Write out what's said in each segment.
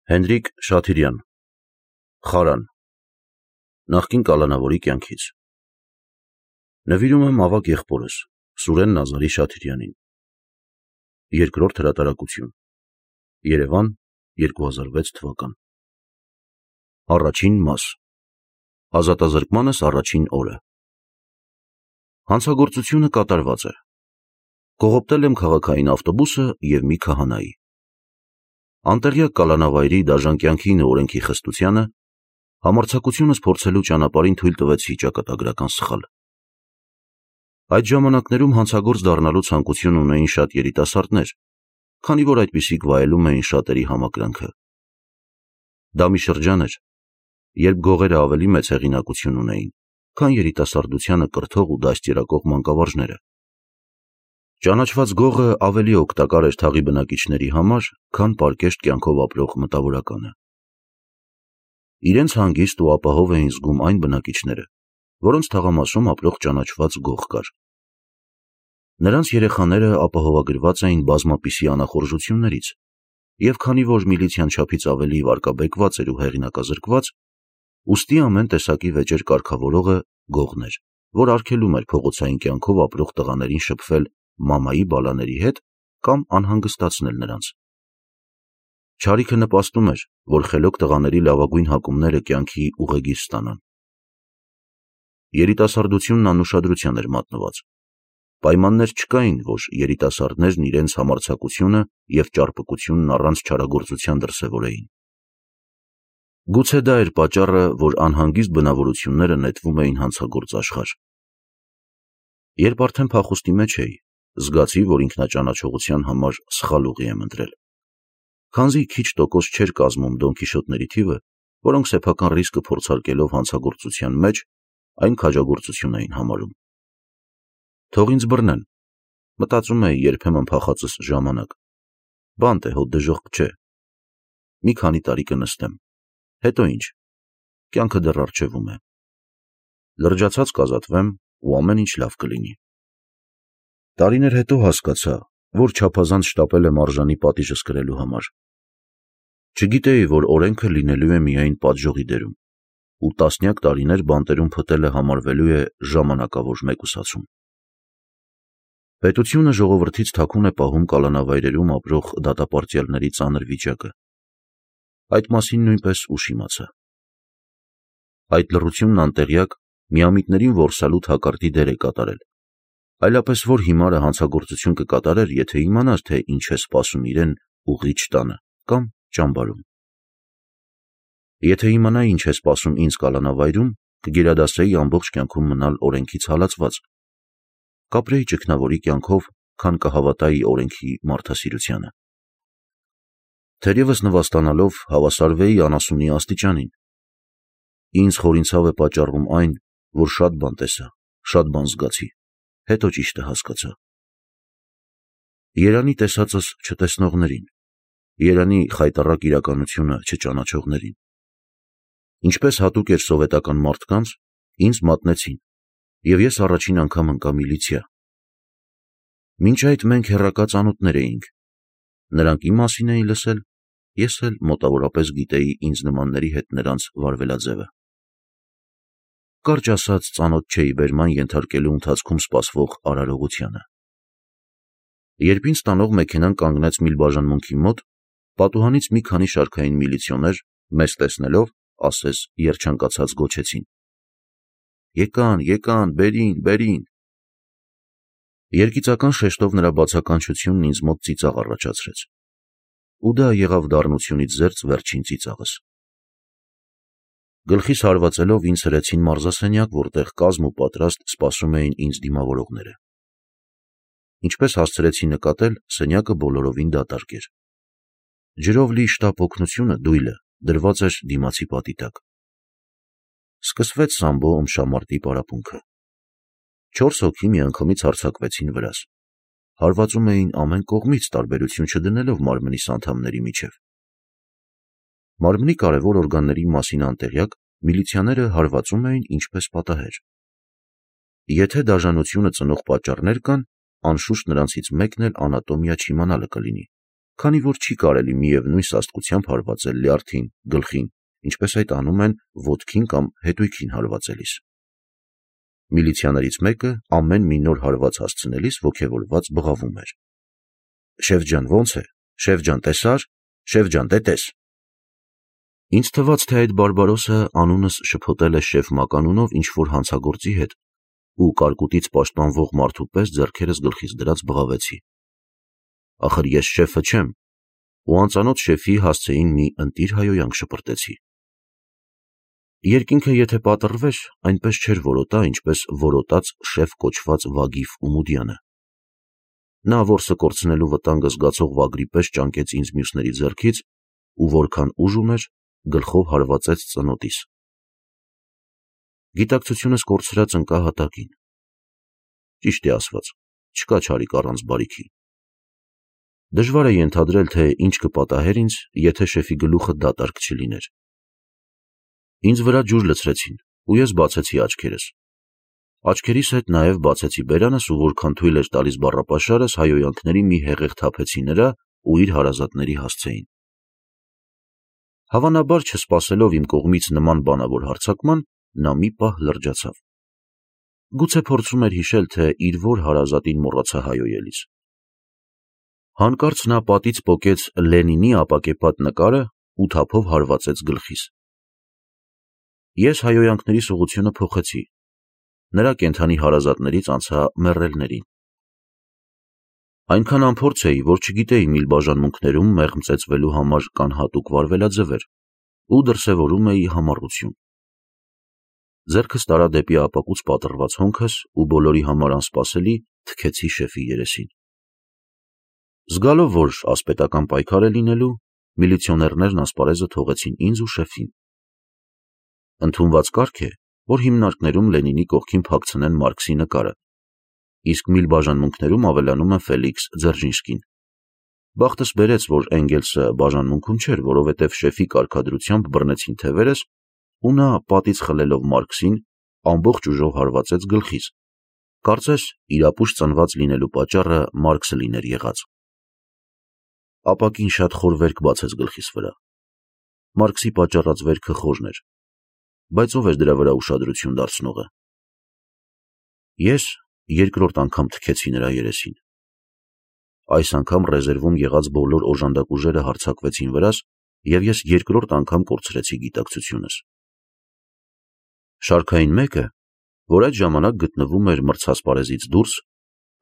Հենրիկ Շաթիրյան, Խարան, նախկին կալանավորի կյանքից։ Նվիրում եմ ավագ եղբորս, Սուրեն Նազարի Շաթիրյանին։ Երկրորդ հրատարակություն, Երևան, 2006 թվական։ Առաջին մաս, ազատազրկմանս առաջին օրը։ Հանցագործությունը կատարված է։ Կողոպտել եմ քաղաքային ավտոբուսը և մի քահանայի։ Անտեղյակ կալանավայրի դաժան կյանքին ու օրենքի խստությանը համարձակությունս փորձելու ճանապարհին թույլ տվեցի ճակատագրական սխալ։ Այդ ժամանակներում հանցագործ դառնալու ցանկություն ունեին շատ երիտասարդներ, քանի որ այդպիսիք վայելում էին շատերի համակրանքը։ Դա մի շրջան էր, երբ գողերը ավելի մեծ հեղինակություն ունեին, քան երիտասարդությանը կրթող ու դաստիարակող մանկավարժները։ Ճանաչված գողը ավելի օգտակար էր թաղի բնակիչների համար, քան պարկեշտ կյանքով ապրող մտավորականը։ Իրենց հանգիստ ու ապահով էին զգում այն բնակիչները, որոնց թաղամասում ապրող ճանաչված գող կար։ Նրանց երեխաները ապահովագրված էին բազմապիսի անախորժություններից, և քանի որ միլիցիան չափից ավելի վարկաբեկված էր ու հեղինակազրկված, ուստի ամեն տեսակի վեճեր կարգավորողը գողն էր, որ արգելում էր փողոցային կյանքով ապրող տղաներին շփվել մամայի բալաների հետ կամ անհանգստացնել նրանց։ Չարիքը նպաստում էր, որ խելոք տղաների լավագույն հակումները կյանքի ուղեգիր ստանան։ Երիտասարդությունն անուշադրության էր մատնված։ Պայմաններ չկային, որ երիտասարդներն իրենց համարձակությունը և ճարպկությունն առանց չարագործության դրսևորեին։ Գուցե դա էր պատճառը, որ անհանգիստ բնավորությունները նետվում էին հանցագործ աշխարհ։ Երբ արդեն փախուստի մեջ էի, զգացի, որ ինքնաճանաչողության համար սխալ ուղի եմ ընտրել։ Քանզի քիչ տոկոս չէր կազմում դոնքիշոտների թիվը, որոնք սեփական ռիսկը փորձարկելով հանցագործության մեջ այն քաջագործություն էին համարում։ Թող ինձ բռնեն, մտածում էի երբեմն փախածս ժամանակ։ Բանտ է, հոտ դժոխք չէ։ Մի քանի տարի կնստեմ, հետո ինչ, կյանքը դեռ առջևում է։ Լրջացած կազատվեմ ու ամեն ինչ լավ կլինի։ Տարիներ հետո հասկացա, որ չափազանց շտապել եմ արժանի պատիժս կրելու համար։ Չգիտեի, որ օրենքը լինելու է միայն պատժողի դերում, ու տասնյակ տարիներ բանտերում փտելը համարվելու է ժամանակավոր մեկուսացում։ Պետությունը ժողովրդից թաքուն է պահում կալանավայրերում ապրող դատապարտյալների ծանր վիճակը։ Այդ մասին նույնպես ուշ իմացա։ Այդ լռությունն անտեղյակ միամիտներին որսալու թակարդի դեր է կատարել, այլապես որ հիմարը հանցագործություն կկատարեր, եթե իմանար, թե ինչ է սպասում իրեն ուղիչ տանը կամ ճամբարում։ Եթե իմանայի ինչ է սպասում ինձ կալանավայրում, կգերադասեի ամբողջ կյանքում մնալ օրենքից հալածված, կապրեի ճգնավորի կյանքով, քան կհավատայի օրենքի մարդասիրությանը։ Թերևս նվաստանալով հավասարվեի անասունի աստիճանին։ Ինձ խորին ցավ է պատճառում այն, որ շատ բան տեսա, շատ բան զգացի, հետո ճիշտը հասկացա։ Երանի տեսածս չտեսնողներին, երանի խայտառակ իրականությունը չճանաչողներին։ Ինչպես հատուկ էր սովետական մարդկանց, ինձ մատնեցին, և ես առաջին անգամ ընկա միլիցիա։ Մինչ այդ մենք հեռակա ծանոթներ էինք։ Նրանք իմ մասին էին լսել, ես էլ մոտավորապես գիտեի ինձ նմանների հետ նրանց վարվելաձևը։ Կարճ ասած, ծանոթ չէի բերման ենթարկելու ընթացքում սպասվող արարողությանը։ Երբ ինձ տանող մեքենան կանգնեց մի բաժանմունքի մոտ, պատուհանից մի քանի շարքային միլիցիոներ, մեզ տեսնելով, ասես երջանկացած գոչեցին. «Եկան, եկան, բերին»։ Երգիծական շեշտով նրա բացականչությունն ինձ մոտ ծիծաղ առաջացրեց։ Ու դա եղավ դառնությունից զերծ վերջին ծիծաղս։ Գլխիս հարվածելով ինձ հրեցին մարզասենյակ, որտեղ կազմ ու պատրաստ սպասում էին ինձ դիմավորողները։ Ինչպես հասցրեցի նկատել, սենյակը բոլորովին դատարկ էր։ Ջրով լի շտապ օգնությունը, դույլը, դրված էր դիմացի պատի տակ։ Սկսվեց սամբո ըմբշամարտի պարապմունքը։ 4 հոգի միանգամից հարձակվեցին վրաս։ Հարվածում էին ամեն կողմից, տարբերություն չդնելով մարմնիս անդամների միջև։ Մարմնի կարևոր օրգանների մասին անտեղյակ, միլիցիաները հարվածում էին ինչպես պատահեր։ Եթե դաժանությունը ծնող պատճառներ կան, անշուշտ նրանցից մեկն էլ անատոմիա չիմանալը կլինի, քանի որ չի կարելի միևնույն սաստկությամբ հարվածել լյարդին, գլխին, ինչպես այդ անում են ոտքին կամ հետույքին հարվածելիս։ Միլիցիաներից մեկը ամեն մի նոր հարված հասցնելիս ոգևորված բղավում էր. «Շեֆ ջան, ո՞նց է, շեֆ ջան, տեսա՞ր, շեֆ ջան, դե տես»։ Ինձ թվաց, թե այդ բարբարոսը անունս շփոթել է շեֆ Մականունով ինչ-որ հանցագործի հետ ու կարկուտից պաշտպանվող մարդու պես ձեռքերս գլխից դրած բղավեցի։ Ախր ես շեֆը չեմ, ու անծանոթ շեֆի հասցեին մի ընտիր հայոյանք շպրտեցի։ Երկինքը եթե պատռվեր, այնպես չէր որոտա, ինչպես որոտաց շեֆ կոչված Վագիֆ Ումուդյանը։ Նա որսը կորցնելու վտանգը զգացող վագրի պես ճանկեց ինձ մյուսների ձեռքից ու որքան ուժ ուներ, գլխով հարվածեց ծնոտիս։ Գիտակցությունս կորցրած ընկա հատակին։ Ճիշտ է ասված, չկա չարիք առանց բարիքի։ Դժվար է ենթադրել, թե ինչ կպատահեր ինձ, եթե շեֆի գլուխը դատարկ չլիներ։ Ինձ վրա ջուր լցրեցին, ու ես բացեցի աչքերս։ Աչքերիս հետ նաև բացեցի բերանս ու որքան թույլ էր տալիս բառապաշարս, հայոյանքների մի հեղեղ թափեցի նրա ու իր հարազատների հասցեին։ Հավանաբար չսպասելով իմ կողմից նման բանավոր հարձակման, նա մի պահ լրջացավ։ Գուցե փորձում էր հիշել, թե իր որ հարազատին մոռացա հայոյելիս։ Հանկարծ նա պատից պոկեց Լենինի ապակեպատ նկարը ու թափով հարվածեց գլխիս։ Ես հայոյանքների սողությունը փոխեցի, նրա կենդանի հարազատներից անցա մեռելներին։ Այնքան անփորձ էի, որ չգիտեի միլ բաժանմունքներում մեղմ ծեծվելու համար կան հատուկ վարվելաձևեր ու դրսևորում էի համառություն։ Ձեռքս տարա դեպի ապակուց պատռված հոնքս ու բոլորի համար անսպասելի թքեցի շեֆի երեսին։ Զգալով, որ ասպետական պայքար է լինելու, միլիցիոներներն ասպարեզը թողեցին ինձ ու շեֆին։ Ընդունված կարգ է, որ հիմնարկներում Լենինի կողքին փակցնեն Մարքսի նկարը, իսկ միլ բաժանմունքներում ավելանում է Ֆելիքս Ձերժինսկին։ Բախտս բերեց, որ Էնգելսը բաժանմունքում չէր, որովհետև շեֆի կարգադրությամբ բռնեցին թևերս ու նա պատից խլելով Մարքսին ամբողջ ուժով հարվածեց գլխիս։ Կարծես իրապուշ ծնված լինելու պատճառը Մարքսը լիներ եղած։ Ապակին շատ խոր վերք բացեց գլխիս վրա։ Մարքսի պատճառած վերքը խորն էր, բայց ով էր դրա վրա ուշադրություն դարձնողը։ Ես երկրորդ անգամ թքեցի նրա երեսին։ Այս անգամ ռեզերվում եղած բոլոր օժանդակ ուժերը հարձակվեցին վրաս և ես երկրորդ անգամ կորցրեցի գիտակցությունս։ Շարքային մեկը, որ այդ ժամանակ գտնվում էր մրցասպարեզից դուրս,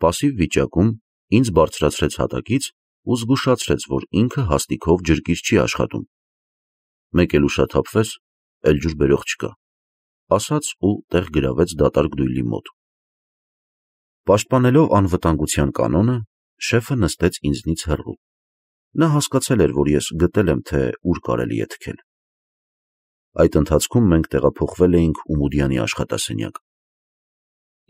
պասիվ վիճակում ինձ բարձրացրեց հատակից ու զգուշացրեց, որ ինքը հաստիքով ջրկիր չի աշխատում։ Մեկ էլ ուշաթափվես, էլ ջուր բերող չկա, ասաց ու տեղ գրավեց դատարկ դույլի մոտ։ Պաշտպանելով անվտանգության կանոնը, շեֆը նստեց ինձնից հեռու։ Նա հասկացել էր, որ ես գտել եմ, թե ուր կարելի է թքել։ Այդ ընթացքում մենք տեղափոխվել էինք Ումուդյանի աշխատասենյակ։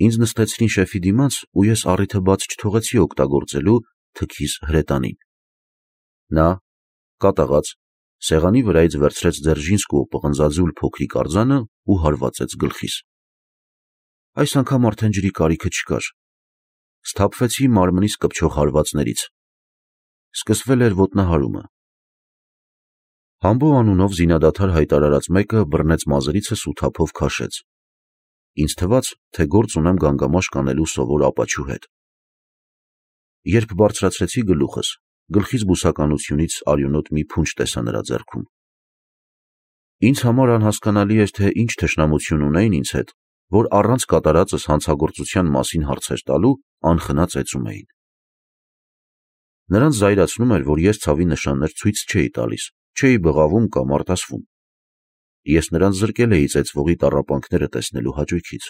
Ինձ նստեցրին շեֆի դիմաց ու ես առիթը բաց չթողեցի օգտագործելու թքիս հրետանին։ Նա, կատաղած, սեղանի վրայից վերցրեց Ձերժինսկու պղնձաձուլ փոքրիկ արձանը ու հարվածեց գլխիս։ Այս անգամ արդեն ջրի կարիքը չկար։ Սթափվեցի մարմնիս կպչող հարվածներից։ Սկսվել էր ոտնահարումը։ Համբո անունով զինադադար հայտարարած մեկը բռնեց մազերիցս ու թափով քաշեց։ Ինձ թվաց, թե գործ ունեմ գանգամաշ կանելու սովոր ապաչու հետ։ Երբ բարձրացրեցի գլուխս, գլխիս բուսականությունից արյունոտ մի փունջ տեսա նրա ձեռքում։ Ինձ համար անհասկանալի էր, թե ինչ թշնամություն ունեին ինձ հետ, որ առանց կատարածս հանցագործության մասին հարցեր տալու անխնա ծեծում էին։ Նրանց զայրացնում էր, որ ես ցավի նշաններ ցույց չէի տալիս, չէի բղավում կամ արտասվում։ Ես նրանց զրկել էի ծեծվողի տառապանքները տեսնելու հաճույքից։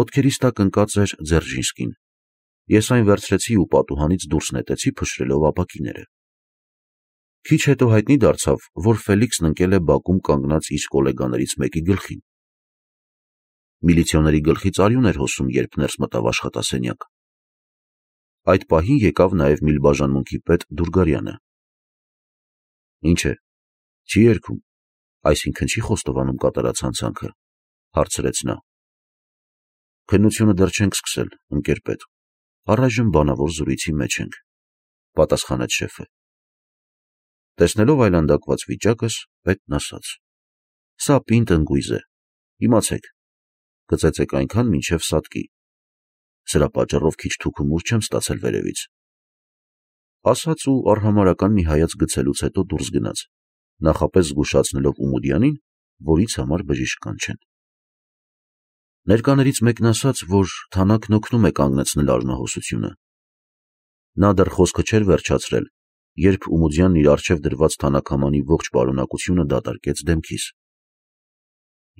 Ոտքերիս տակ ընկած էր Ձերժինսկին։ Ես այն վերցրեցի ու պատուհանից դուրս նետեցի փշրելով ապակիները։ Քիչ հետո հայտնի դարձավ, որ Ֆելիքսն ընկել է բակում կանգնած իր գոլեգաներից մեկի գլխին։ Միլիցիոների գլխից արյուն էր հոսում, երբ ներս մտավ աշխատասենյակ։ Այդ պահին եկավ նաև միլբաժանմունքի պետ Դուրգարյանը։ Ինչ է, չի երգում, այսինքն չի խոստովանում կատարած հանցանքը, հարցրեց նա։ Քննությունը դեռ չենք սկսել, ընկեր պետ, առայժմ բանավոր զրույցի մեջ ենք։ պատասխանեց շեֆը։ Տեսնելով այլանդակված վիճակս, պետն ասաց. Սա պինդ ընկույզ է, իմացեք, գծեցեք այնքան մինչև սատկի, սրա պատճառով քիչ թուքումուր չեմ ստացել վերևից։ Ասաց ու արհամարական մի հայաց գցելուց հետո դուրս գնաց, նախապես զգուշացնելով Ումուդյանին, որից համար բժիշկ կանչեն։ Ներկաներից մեկն ասաց, որ թանաքն օգնում է կանգնեցնել արմահոսությունը։ Նա դեռ խոսքը չէր վերջացրել, երբ Ումուդյանն իր առջև դրված թանաքամանի ողջ պարունակությունը դատարկեց դեմքիս։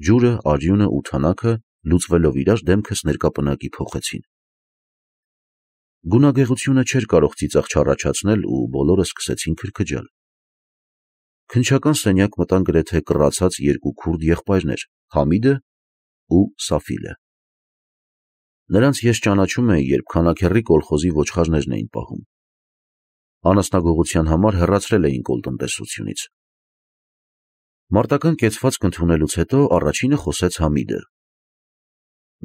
Ջուրը, արյունը ու թանաքը լուծվելով իրար դեմքս ներկապնակի փոխեցին։ Գունագեղությունը չէր կարող ծիծաղ չառաջացնել ու բոլորը սկսեցին քրքջալ։ Քննչական սենյակ մտան գրեթե կռացած երկու քուրդ եղբայրներ՝ Համիդը ու Սաֆիլը։ Նրանց ես ճանաչում էի, երբ Քանաքեռի կոլխոզի ոչխարներն էին պահում։ Անասնագողության համար հեռացրել էին կոլտնտեսությունից։ Մարտական կեցվածք ընդունելուց հետո առաջինը խոսեց Համիդը։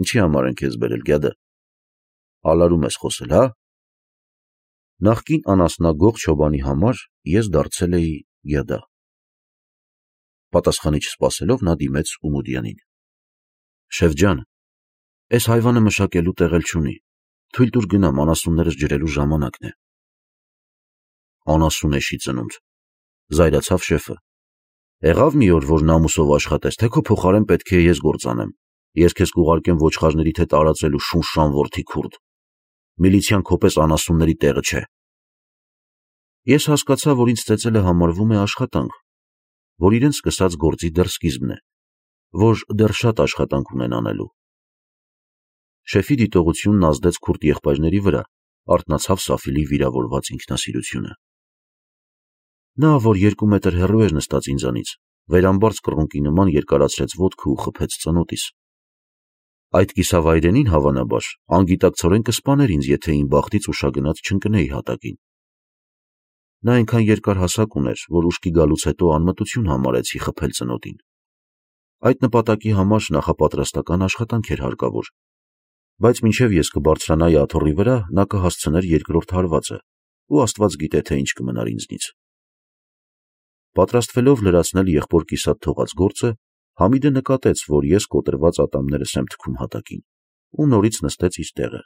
Ինչի համար են քեզ բերել, գյադա։ Ալարում ես խոսել, հա։ Նախկին անասնագող Չոբանի համար ես դարձել էի գյադա։ Պատասխանի չսպասելով նա դիմեց Ումուդյանին։ Շեֆ ջան, այս հայվանը մշակելու տեղ էլ չունի, թույլ տուր գնամ, անասուններս ջրելու ժամանակն է։ Անասուն էշի ծնունդ, զայրացավ շեֆը։ Եղավ մի օր, որ նամուսով աշխատես, թե քո փոխարեն պետք է ես գործ անեմ, ես քեզ կուղարկեմ ոչխարների թե տարածելու շունշան որդի քուրդ։ Միլիցիան քո պես անասունների տեղը չէ։ Ես հասկացա, որ ինձ ծեծելը համարվում է աշխատանք, որ իրենց սկսած գործի դեռ սկիզբն է, որ դեռ շատ աշխատանք ունեն անելու։ Շեֆի դիտողությունն ազդեց քուրդ եղբայրների վրա, արթնացավ Սաֆիլի վիրավորված ինքնասիրությունը։ Նա, որ 2 մետր հեռու էր նստած ինձանից, վերամբարձ կռունկի նման երկարացրեց ոտքը ու խփեց ծնոտիս։ Այդ կիսավայրենին, հավանաբար, անգիտակցորեն կսպաներ ինձ, եթե իմ բախտից ուշագնաց չընկնեի հատակին։ Նա այնքան երկար հասակ ուներ, որ ուշքի գալուց հետո անմտություն համարեցի խփել ծնոտին։ Այդ նպատակի համար նախապատրաստական աշխատանք էր հարկավոր, բայց մինչև ես կբարձրանայի աթոռի վրա, նա կհասցներ երկրորդ հարվածը, ու Աստված գիտե, թե ինչ կմնար ինձնից։ Պատրաստվելով լրացնել եղբոր կիսատ թողած գործը, Համիդը նկատեց, որ ես կոտրված ատամներս եմ թքում հատակին, ու նորից նստեց իր տեղը։